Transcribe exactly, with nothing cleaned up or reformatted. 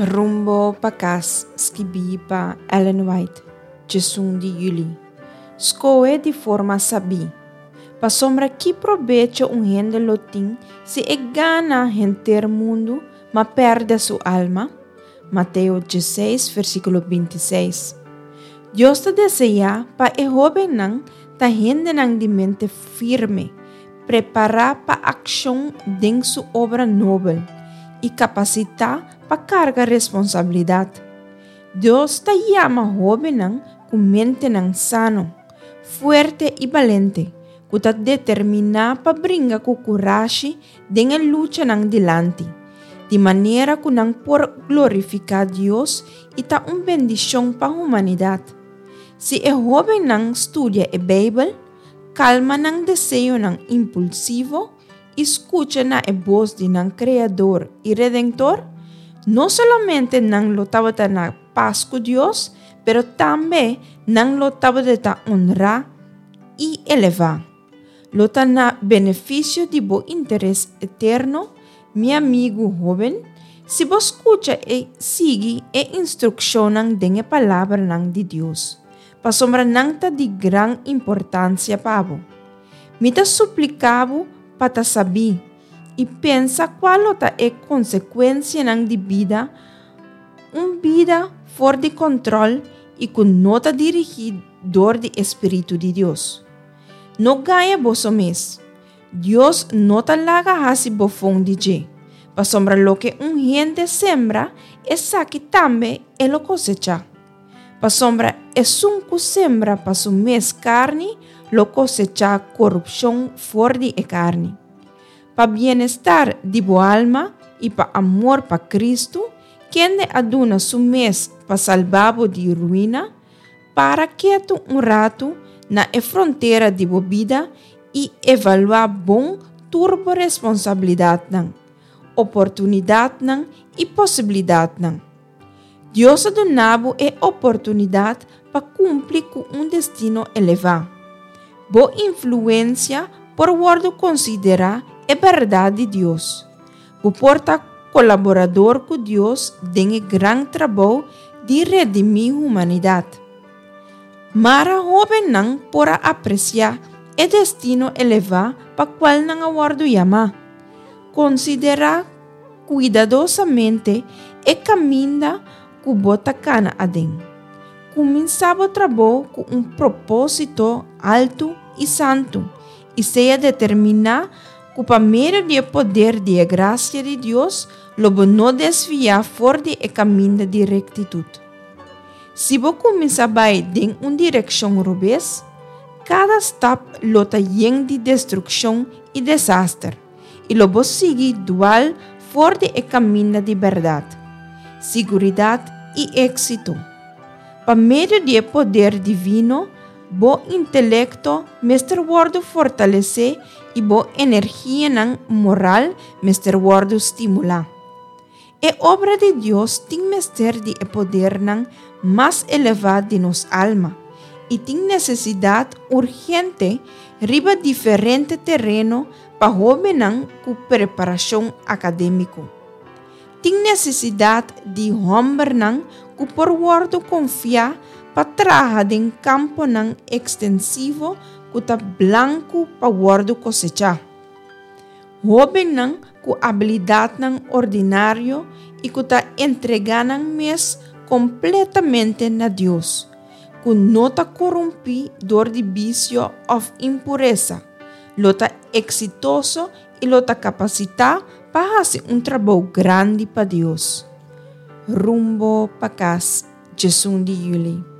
Rumbo pa Kas, skibí pa Ellen White, diesun di yüli. Skohe di forma sabí. Pasobra ki probecho un hende lo tin si e gana henter mundu, ma pèrdè su alma? Mateo diesseis, versíkulo bintiseis. Dios ta deseá pa e hóbennan ta hendenan di mente firme, prepará pa akshon den su obra nobel i kapasitá pa karga responsabilidat. Dios ta yama hóbennan ku mentenan sano, fuerte i balente, ku ta determiná pa bringa ku kurashi den e luchanan dilanti, di manera ku nan por glorifiká Dios i ta un bendishon pa humanidat. Si e hóbennan studia e Beibel, kalma nan deseonan impulsivo i skucha na e bos di nan Kreador i Redentor, no solamente nan lo tabata na pas ku Dios, pero tambe nan lo tabata honrá i elevá. Lo ta na benefisio di bo interes eterno, mi amigu hóben, si bo skucha i sigui e instrukshonnan den e palabranan di Dios, pasobra nan ta di gran importansia pa bo. Mi ta supliká bo pa ta sabí i pensa kua lo ta e konsekuensianan di bida, un bida for di kòntròl i ku no ta dirigí dor di e Spiritu di Dios. No gaña boso mes. Dios no ta laga hasi bofon di dje, pasobra loke un hende sembra, esaki tambe e lo kosechá. Pasobra esun ku sembra pa su mes karni, lo kosechá korupshon for di e karni. Pa bienestar di bo alma i pa amor pa Kristu, kende a duna su mes pa salba bo di ruina, para ketu un ratu na e frontera di bo bida i evaluá bon tur bo responsabilidatnan, oportunidatnan i posibilidatnan. Dios a duna bo e oportunidat pa kumpli ku un destino elevá. Bo influensia por wòrdu konsiderá e bèrdat di Dios. Bo por ta kolaborador ku Dios den e gran trabou di redimí humanidat. Mara hóbennan por a apresiá e destino elevá pa kual nan a wòrdu yamá. Konsiderá kuidadosamente e kaminda ku bo ta kana aden. Kuminsá bo trabou ku un propósito altu i santu i sea determiná ku pa medio di e poder di e grasia di Dios lo bo no desviá for di e kaminda di rektitut. Si bo kuminsá bai den un direkshon robes, kada stap lo ta yen di destrukshon i desaster, i lo bo sigui dual for di e kaminda di bèrdat, siguridat i éksito. Pa medio di e poder divino, bo intelekto mester wòrdu fortalesé i bo energianan moral mester wòrdu stimulá. E obra di Dios tin mester di e podernan mas elevá di nos alma i tin nesesidat urgente riba diferente tereno pa hóbennan ku preparashon akadémiko. Tin nesesidat di hòmbernan ku por wòrdu konfiá pa traha den kamponan ekstensivo ku ta blanku pa wòrdu kosechá. Hóbennan ku abilidatnan ordinario i ku ta entregá nan mes kompletamente na Dios, ku no ta korumpí dor di bisio òf impuresa, lo ta eksitoso i lo ta kapasitá pa hasi un trabou grandi pa Dios. Rumbo pa Kas, diesun di yüli.